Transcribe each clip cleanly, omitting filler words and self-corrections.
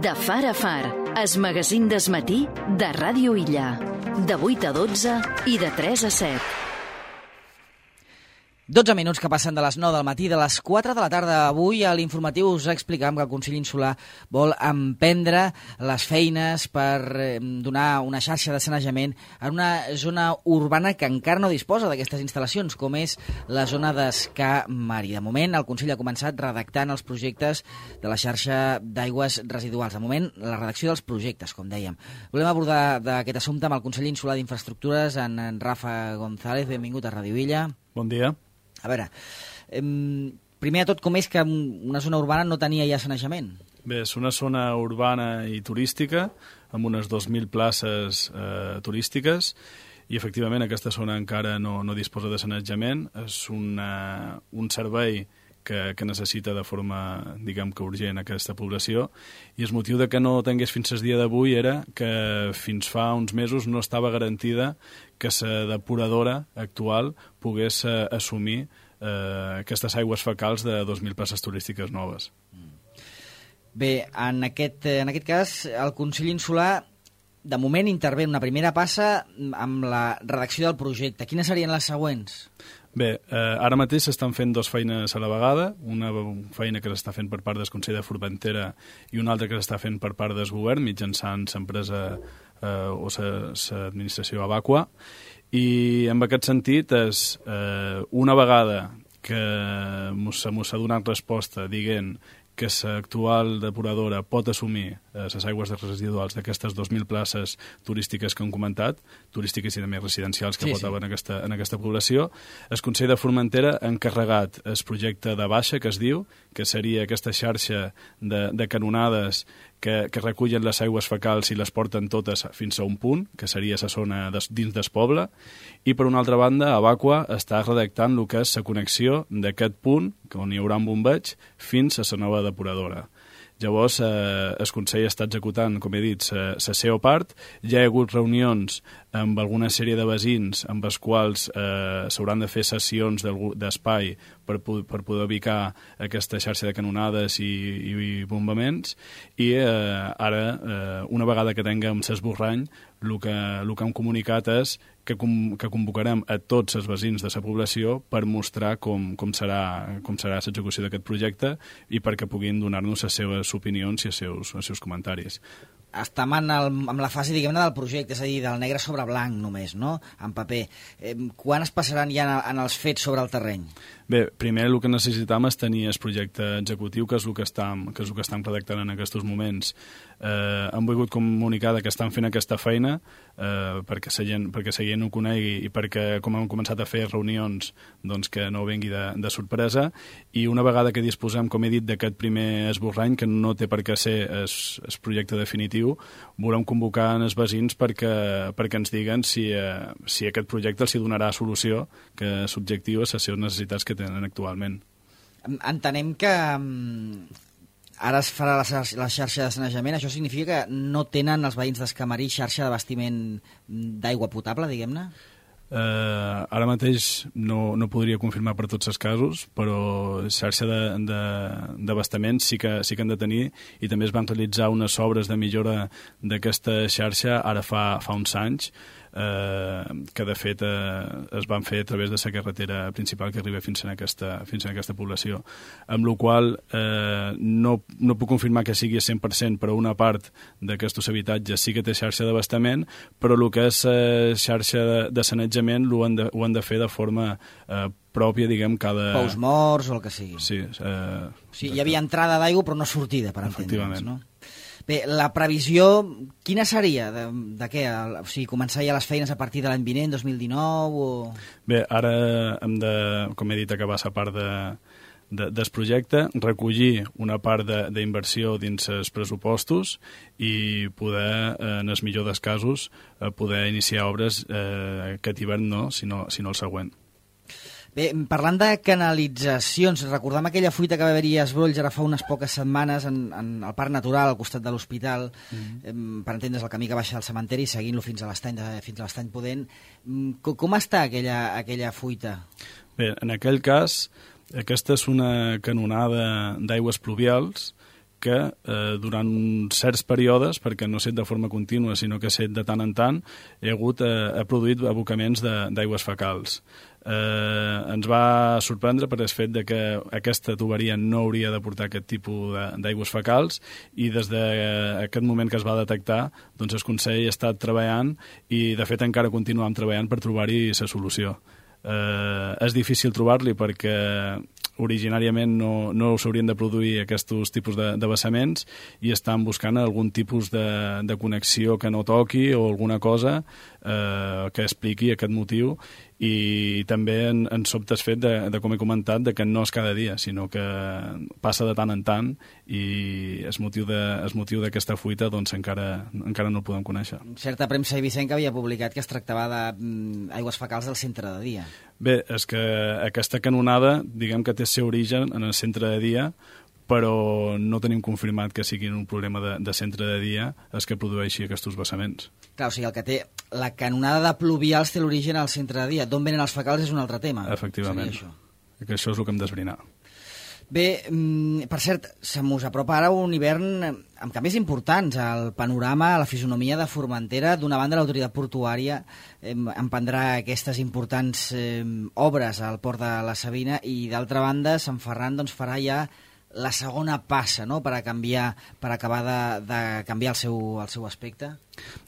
De far a far, es magazín d'esmatí de Ràdio Illa. De 8 a 12 i de 3 a 7. 12 minuts que passen de les 9 del matí, de les 4 de la tarda. Avui a l'informatiu us explicàvem que el Consell Insular vol emprendre les feines per donar una xarxa de sanejament en una zona urbana que encara no disposa d'aquestes instal·lacions, com és la zona d'Escà Mari. De moment, el Consell ha començat redactant els projectes de la xarxa d'aigües residuals. De moment, la redacció dels projectes, com dèiem. Volem abordar d'aquest assumpte amb el Consell Insular d'Infraestructures, en Rafa González. Benvingut a Ràdio Illa. Bon dia. A veure, primer de tot, com és que una zona urbana no tenia ja sanejament? Bé, és una zona urbana i turística, amb unes 2.000 places turístiques, i efectivament aquesta zona encara no disposa de sanejament. És un servei que necessita de forma, diguem que urgent, aquesta població, i el motiu de que no tingués fins al dia d'avui era que fins fa uns mesos no estava garantida que la depuradora actual pogués assumir aquestes aigües fecals de 2.000 places turístiques noves. Bé, en aquest cas, el Consell Insular de moment intervé en una primera passa amb la redacció del projecte. Quines serien les següents? Bé, ara mateix s'estan fent dues feines a la vegada, una feina que s'està fent per part del Consell de Formentera i una altra que s'està fent per part del govern mitjançant l'empresa o l'administració Abaqua, i en aquest sentit és una vegada que s'ha donat resposta dient que l'actual depuradora pot assumir les aigües residuals d'aquestes 2.000 places turístiques que hem comentat, turístiques i també residencials que pot haver en aquesta població, el Consell de Formentera ha encarregat el projecte de baixa, que es diu, que seria aquesta xarxa de canonades que recullen les aigües fecals i les porten totes fins a un punt, que seria la zona dins del poble, i per una altra banda, Abaqua està redactant el que és la connexió d'aquest punt, on hi haurà un bombeig, fins a la nova depuradora. Llavors, el Consell està executant, com he dit, la seva part. Ja hi ha hagut reunions amb alguna sèrie de veïns amb els quals s'hauran de fer sessions d'espai per poder ubicar aquesta xarxa de canonades i bombaments, i ara, una vegada que tinguem l'esborrany, el que hem comunicat és que convocarem a tots els veïns de la població per mostrar com serà l'execució d'aquest projecte i perquè puguin donar-nos les seves opinions i els seus comentaris. Estem amb la fase, diguem-ne, del projecte, és a dir, del negre sobre blanc només, no?, en paper. Quan es passaran ja en els fets sobre el terreny? Bé, primer el que necessitam és tenir el projecte executiu, que és el que estem redactant en aquests moments. Hem volgut comunicar que estan fent aquesta feina perquè la gent ho conegui i perquè, com hem començat a fer reunions, doncs que no vengui de sorpresa, i una vegada que disposem, com he dit, d'aquest primer esborrany, que no té per què ser el projecte definitiu, volem convocar els veïns perquè ens diguen si aquest projecte els donarà solució, que l'objectiu és les seves necessitats que tenen actualment. Entenem que ara es farà la xarxa de sanejament. Això significa que no tenen els veïns d'Escà Mari xarxa d'abastiment d'aigua potable, diguem-ne? Ara mateix no podria confirmar per tots els casos, però xarxa d'abastament sí que han de tenir, i també es van realitzar unes obres de millora d'aquesta xarxa ara fa uns anys, que de fet es van fer a través de la carretera principal que arriba fins a aquesta població, amb la qual no puc confirmar que sigui 100%, però una part d'aquests habitatges sí que té xarxa d'abastament, però el que és xarxa de sanejament ho han de fer de forma pròpia, diguem, cada... Pous morts o el que sigui. Sí. Sí, hi havia entrada d'aigua però no sortida, per entendre'ns, no? Bé, la previsió, quina seria? De què? O sigui, començar ja les feines a partir de l'any vinent, 2019? O... Bé, ara hem de, com he dit, acabar la part del projecte, recollir una part d'inversió dins els pressupostos i poder, en el millor dels casos, poder iniciar obres aquest hivern no, sinó el següent. Bé, parlant de canalitzacions, recordem aquella fuita que va haver-hi a Esbrolls ara fa unes poques setmanes en el Parc Natural al costat de l'hospital, per entendre's el camí que baixa al cementeri, seguint-lo fins a l'Estany Pudent. Com està aquella fuita? Bé, en aquell cas, aquesta és una canonada d'aigües pluvials que durant certs períodes, perquè no ha estat de forma contínua, sinó que ha estat de tant en tant, ha produït abocaments d'aigües fecals. Ens va sorprendre per el fet de que aquesta tuberia no hauria de portar aquest tipus d'aigües fecals, i des d'aquest moment que es va detectar, doncs el Consell ha estat treballant, i de fet encara continuem treballant per trobar-hi la solució. És difícil trobar-li perquè originàriament no s'haurien de produir aquests tipus de vessaments, i estan buscant algun tipus de connexió que no toqui o alguna cosa que expliqui aquest motiu. I també en sobte el fet de, com he comentat, de que no és cada dia, sinó que passa de tant en tant, i el motiu d'aquesta fuita doncs encara no el podem conèixer. Certa premsa eivissenca havia publicat que es tractava d'aigües fecals del centre de dia. Bé, és que aquesta canonada, diguem que té el seu origen en el centre de dia, però no tenim confirmat que sigui un problema de centre de dia el que produeixi aquests vessaments. Clar, o sigui, el que té la canonada de pluvials té l'origen al centre de dia. D'on venen els fecals és un altre tema. Efectivament. Que això és el que hem d'esbrinar. Bé, per cert, se mos apropa ara un hivern amb canvis importants al panorama, a la fisonomia de Formentera. D'una banda, l'autoritat portuària emprendrà aquestes importants obres al port de la Sabina, i d'altra banda, Sant Ferran farà ja la segona passa, no?, per acabar de canviar el seu aspecte.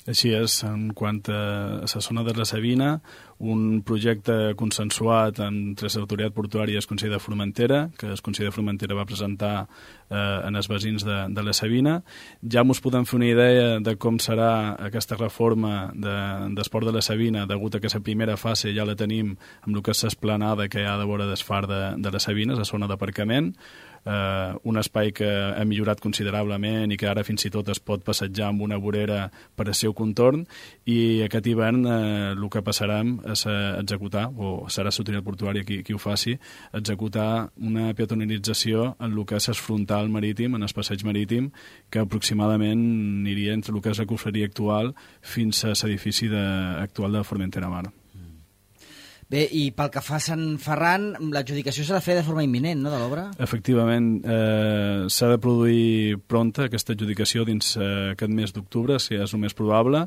Així és, en quant a la zona de la Sabina, un projecte consensuat entre l'autoritat portuària i el Consell de Formentera, que el Consell de Formentera va presentar en els veïns de la Sabina. Ja ens podem fer una idea de com serà aquesta reforma d'esport de la Sabina, degut a que la primera fase ja la tenim amb el que és l'esplanada que hi ha de vora del far de la Sabina, la zona d'aparcament, un espai que ha millorat considerablement i que ara fins i tot es pot passejar amb una vorera per al seu contorn, i aquest hivern el que passarem és executar, o serà l'autoritat portuària qui ho faci, executar una peatonalització en el que és el frontal marítim, en el passeig marítim, que aproximadament aniria entre el que és la confraria actual fins a l'edifici actual de Formentera Mar. Bé, i pel que fa a Sant Ferran, l'adjudicació s'ha de fer de forma imminent, no?, de l'obra? Efectivament, s'ha de produir pronta aquesta adjudicació dins aquest mes d'octubre, si és el més probable.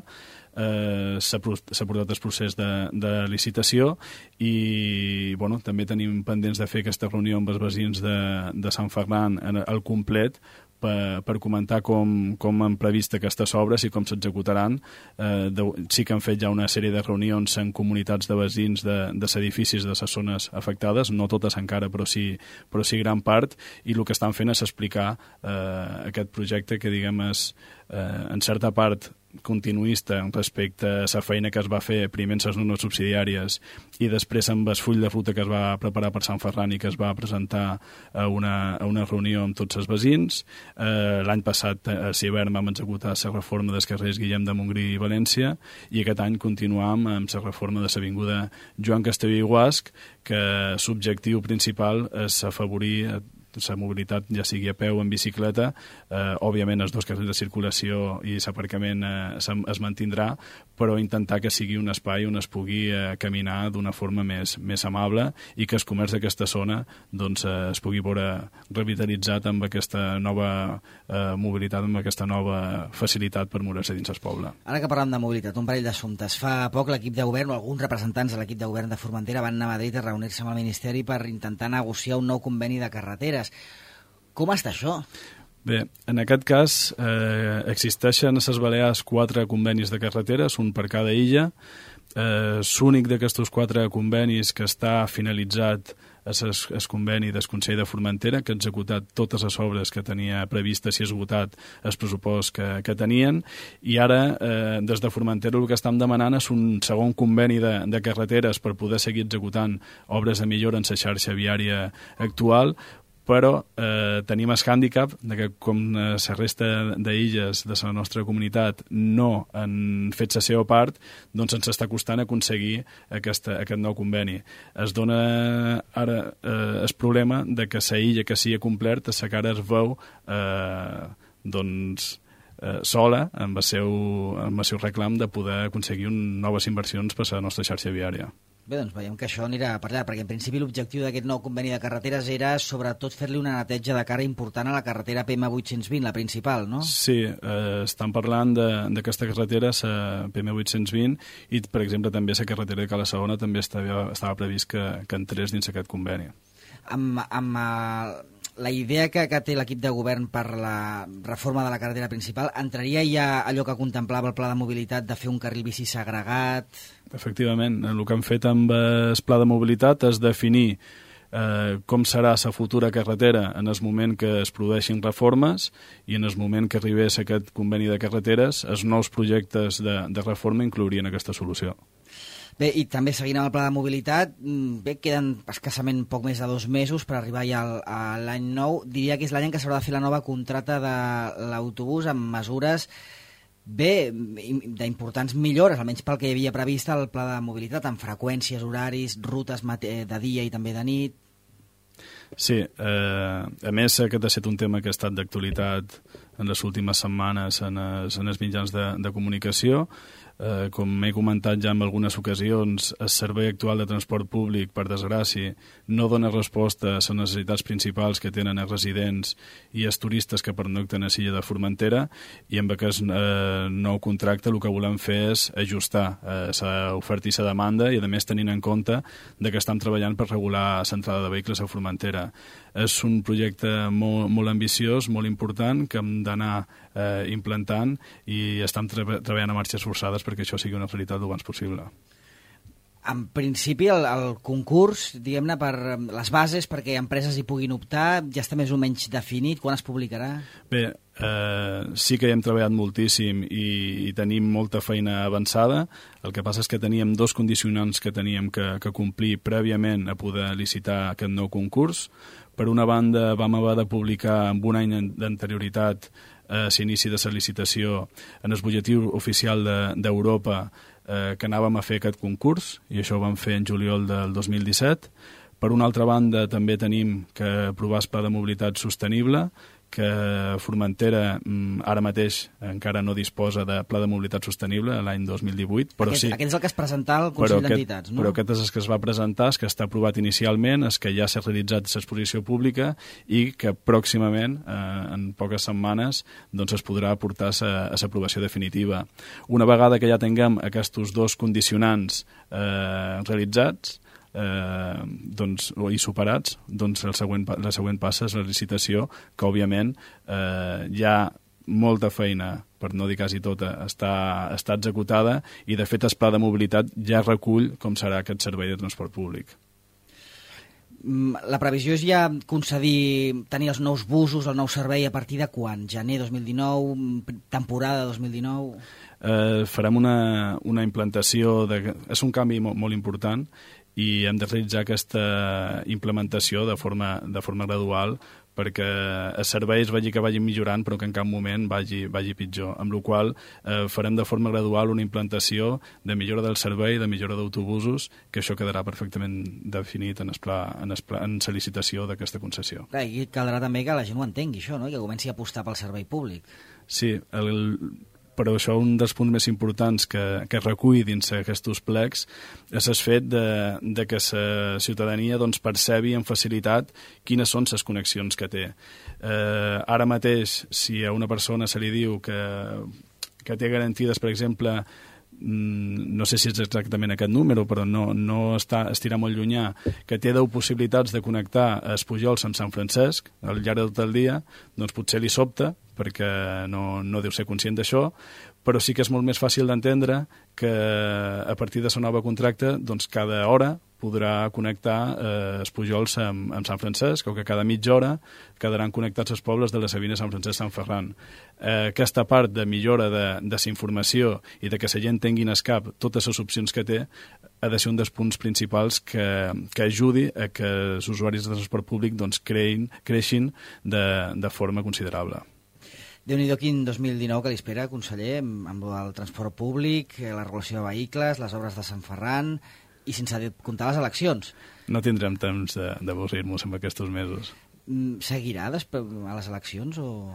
S'ha portat el procés de licitació, i també tenim pendents de fer aquesta reunió amb els veïns de Sant Ferran al complet, per comentar com han previst aquestes obres i com s'executaran. Sí que han fet ja una sèrie de reunions en comunitats de veïns de edificis de les zones afectades, no totes encara, però sí gran part, i el que estan fent és explicar aquest projecte que, diguem, és en certa part continuista respecte a la feina que es va fer primer en les normes subsidiàries i després amb el full de ruta que es va preparar per Sant Ferran i que es va presentar a una reunió amb tots els veïns. L'any passat, a l'hivern, vam executar la reforma dels carrers Guillem de Montgrí i València, i aquest any continuam amb la reforma de l'avinguda Joan Castellví i Guasc, que l'objectiu principal és afavorir la mobilitat, ja sigui a peu o en bicicleta. Òbviament els dos carrils de circulació i l'aparcament es mantindrà, però intentar que sigui un espai on es pugui caminar d'una forma més amable, i que el comerç d'aquesta zona es pugui veure revitalitzat amb aquesta nova mobilitat, amb aquesta nova facilitat per moure-se dins el poble. Ara que parlem de mobilitat, un parell d'assumptes. Fa poc l'equip de govern, o alguns representants de l'equip de govern de Formentera, van anar a Madrid a reunir-se amb el Ministeri per intentar negociar un nou conveni de carreteres. Com està això? Bé, en aquest cas existeixen a les Balears 4 convenis de carreteres, un per cada illa. L'únic d'aquests 4 convenis que està finalitzat és el conveni del Consell de Formentera, que ha executat totes les obres que tenia previstes i esgotat el pressupost que tenien, i ara des de Formentera el que estem demanant és un segon conveni de carreteres per poder seguir executant obres de millora en la xarxa viària actual, però tenim el hàndicap que, com la resta d'illes de la nostra comunitat no han fet la seva part, doncs ens està costant aconseguir aquest nou conveni. Es dona ara el problema de que la illa que s'hi ha complert, la cara es veu sola amb el seu reclam de poder aconseguir noves inversions per a la nostra xarxa viària. Bé, doncs veiem que això anirà per allà, perquè en principi l'objectiu d'aquest nou conveni de carreteres era sobretot fer-li una neteja de cara important a la carretera PM820, la principal, no? Sí, estan parlant d'aquesta carretera, la PM820, i, per exemple, també la carretera de Cala Segona també estava previst que entrés dins aquest conveni. Amb la idea que té l'equip de govern per la reforma de la carretera principal, entraria ja allò que contemplava el pla de mobilitat de fer un carril bici segregat? Efectivament, el que han fet amb el pla de mobilitat és definir com serà la futura carretera en el moment que es produeixin reformes i en el moment que arribés aquest conveni de carreteres, els nous projectes de reforma inclourien aquesta solució. Bé, i també seguint amb el pla de mobilitat, bé, queden escassament poc més de 2 mesos per arribar ja a l'any nou. Diria que és l'any en què s'haurà de fer la nova contracta de l'autobús amb mesures d'importants millores, almenys pel que hi havia previst al pla de mobilitat, amb freqüències, horaris, rutes de dia i també de nit. Sí, a més aquest ha estat un tema que ha estat d'actualitat en les últimes setmanes en els mitjans de comunicació. Com he comentat ja en algunes ocasions, el servei actual de transport públic, per desgràcia, no dona resposta a les necessitats principals que tenen els residents i els turistes que pernocten a l'illa de Formentera, i amb aquest nou contracte el que volem fer és ajustar l'oferta i la demanda, i a més tenint en compte que estem treballant per regular l'entrada de vehicles a Formentera. És un projecte molt ambiciós, molt important, que hem d'anar implantant, i estem treballant a marxes forçades perquè això sigui una realitat el abans possible. En principi, el concurs, diguem-ne, per les bases perquè empreses hi puguin optar, ja està més o menys definit. Quan es publicarà? Bé, sí que hi hem treballat moltíssim i tenim molta feina avançada. El que passa és que teníem 2 condicionants que teníem que complir prèviament a poder licitar aquest nou concurs. Per una banda, vam haver de publicar amb un any d'anterioritat a l'inici de la licitació en el butlletí oficial d'Europa que anàvem a fer aquest concurs, i això ho vam fer en juliol del 2017. Per una altra banda, també tenim que aprovar el pla de mobilitat sostenible, que Formentera ara mateix encara no disposa de pla de mobilitat sostenible l'any 2018, però aquest, sí... Aquest és el que es presenta al Consell d'Entitats, no? Però aquest és el que es va presentar, el que està aprovat inicialment, el que ja s'ha realitzat l'exposició pública i que pròximament, en poques setmanes, doncs es podrà aportar a l'aprovació definitiva. Una vegada que ja tinguem aquests 2 condicionants realitzats, i superats, doncs la següent passa és la licitació, que òbviament hi ha molta feina, per no dir quasi tota, està executada, i de fet el pla de mobilitat ja recull com serà aquest servei de transport públic. La previsió és ja tenir els nous busos, el nou servei a partir de quan? Gener 2019, temporada 2019? Farem una implantació, és un canvi molt important, i hem de realitzar aquesta implementació de forma gradual perquè els serveis que vagin millorant però que en cap moment vagi pitjor, amb la qual farem de forma gradual una implantació de millora del servei, de millora d'autobusos, que això quedarà perfectament definit en la licitació d'aquesta concessió. Clar, i caldrà també que la gent ho entengui, això, no? I que comenci a apostar pel servei públic. Sí, però això un dels punts més importants que recull dins aquests plecs és el fet de que la ciutadania percebi amb facilitat quines són les connexions que té. Ara mateix, si a una persona se li diu que té garantides, per exemple, no sé si és exactament aquest número, però no estirà molt llunyà, que té 10 possibilitats de connectar els Pujols amb Sant Francesc al llarg de tot el dia, doncs potser li sobta, perquè no deu ser conscient d'això, però sí que és molt més fàcil d'entendre que a partir de la nova contracte doncs cada hora podrà connectar els Pujols amb Sant Francesc, o que cada mitja hora quedaran connectats els pobles de la Sabina, Sant Francesc, Sant Ferran. Aquesta part de millora de la informació i de que la gent tingui en el cap totes les opcions que té ha de ser un dels punts principals que ajudi a que els usuaris de transport públic creixin de forma considerable. Déu-n'hi-do quin 2019 que li espera, conseller, amb el transport públic, la regulació de vehicles, les obres de Sant Ferran i sense comptar les eleccions. No tindrem temps d'avorrir-nos amb aquests mesos. Seguirà després a les eleccions o...?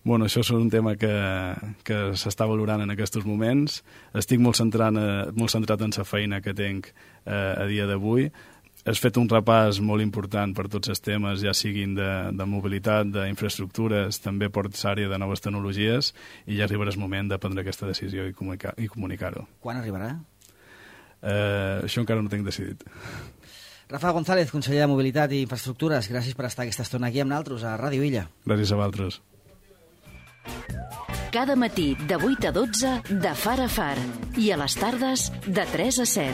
Bueno, això és un tema que s'està valorant en aquests moments. Estic molt centrat en la feina que tinc a dia d'avui. Has fet un repàs molt important per tots els temes, ja siguin de mobilitat, d'infraestructures, també per l'àrea de noves tecnologies, i ja arribarà el moment de prendre aquesta decisió i comunicar-ho. Quan arribarà? Això encara no tinc decidit. Rafa González, conseller de Mobilitat i Infraestructures, gràcies per estar aquesta estona aquí amb nosaltres a Ràdio Illa. Gràcies a vosaltres. Cada matí de 8 a 12 de Far a Far i a les tardes de 3 a 7.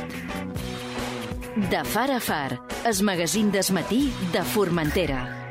De Far a Far, el magazín del matí de Formentera.